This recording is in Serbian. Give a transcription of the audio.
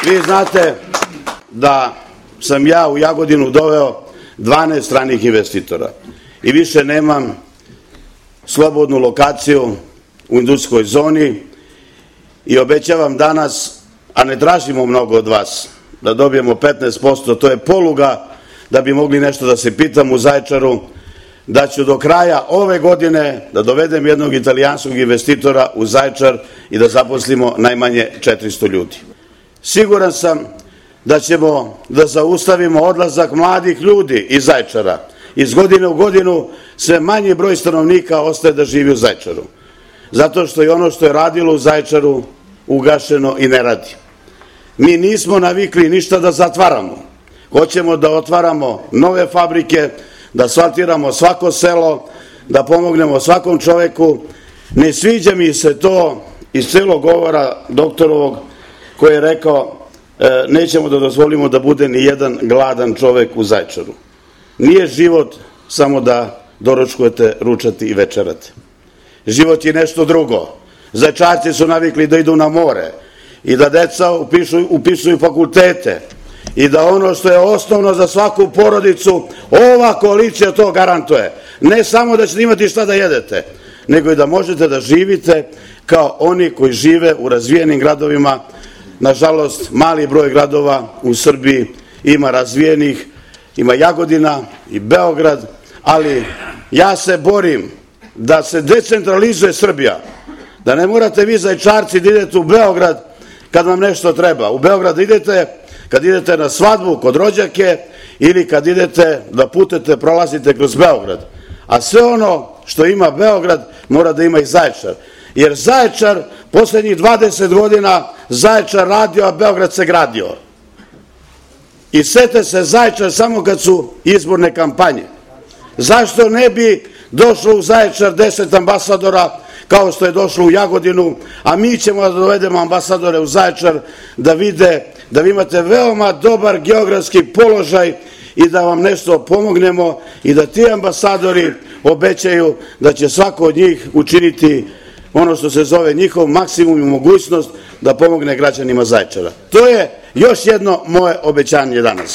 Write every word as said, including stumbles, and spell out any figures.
Vi znate da sam ja u Jagodinu doveo dvanaest stranih investitora i više nemam slobodnu lokaciju u industrijskoj zoni i obećavam danas, a ne tražimo mnogo od vas, da dobijemo petnaest posto, to je poluga da bi mogli nešto da se pitam u Zaječaru, da ću do kraja ove godine da dovedem jednog italijanskog investitora u Zaječar i da zaposlimo najmanje četiristo ljudi. Siguran sam da ćemo da zaustavimo odlazak mladih ljudi iz Zaječara. Iz godine u godinu sve manji broj stanovnika ostaje da živi u Zaječaru. Zato što je ono što je radilo u Zaječaru ugašeno i ne radi. Mi nismo navikli ništa da zatvaramo. Hoćemo da otvaramo nove fabrike, da asfaltiramo svako selo, da pomognemo svakom čoveku. Ne sviđa mi se to iz celog govora doktorovog koji je rekao e, nećemo da dozvolimo da bude ni jedan gladan čovek u Zaječaru. Nije život samo da doručkujete, ručate i večerate. Život je nešto drugo. Zaječarci su navikli da idu na more i da deca upišu, upisuju fakultete i da ono što je osnovno za svaku porodicu, ova koalicija to garantuje. Ne samo da ćete imati šta da jedete, nego i da možete da živite kao oni koji žive u razvijenim gradovima. Nažalost, mali broj gradova u Srbiji ima razvijenih, ima Jagodina i Beograd, ali ja se borim da se decentralizuje Srbija, da ne morate vi Zaječarci da idete u Beograd kad vam nešto treba. U Beograd idete kad idete na svadbu kod rođake ili kad idete da putete, prolazite kroz Beograd. A sve ono što ima Beograd mora da ima i Zaječar. Jer Zaječar, poslednjih dvadeset godina, Zaječar radio, a Beograd se gradio. I sete se Zaječar samo kad su izborne kampanje. Zašto ne bi došlo u Zaječar deset ambasadora kao što je došlo u Jagodinu, a mi ćemo da dovedemo ambasadore u Zaječar da vide da vi imate veoma dobar geografski položaj i da vam nešto pomognemo i da ti ambasadori obećaju da će svako od njih učiniti ono što se zove njihov maksimum i mogućnost da pomogne građanima Zaječara. To je još jedno moje obećanje danas.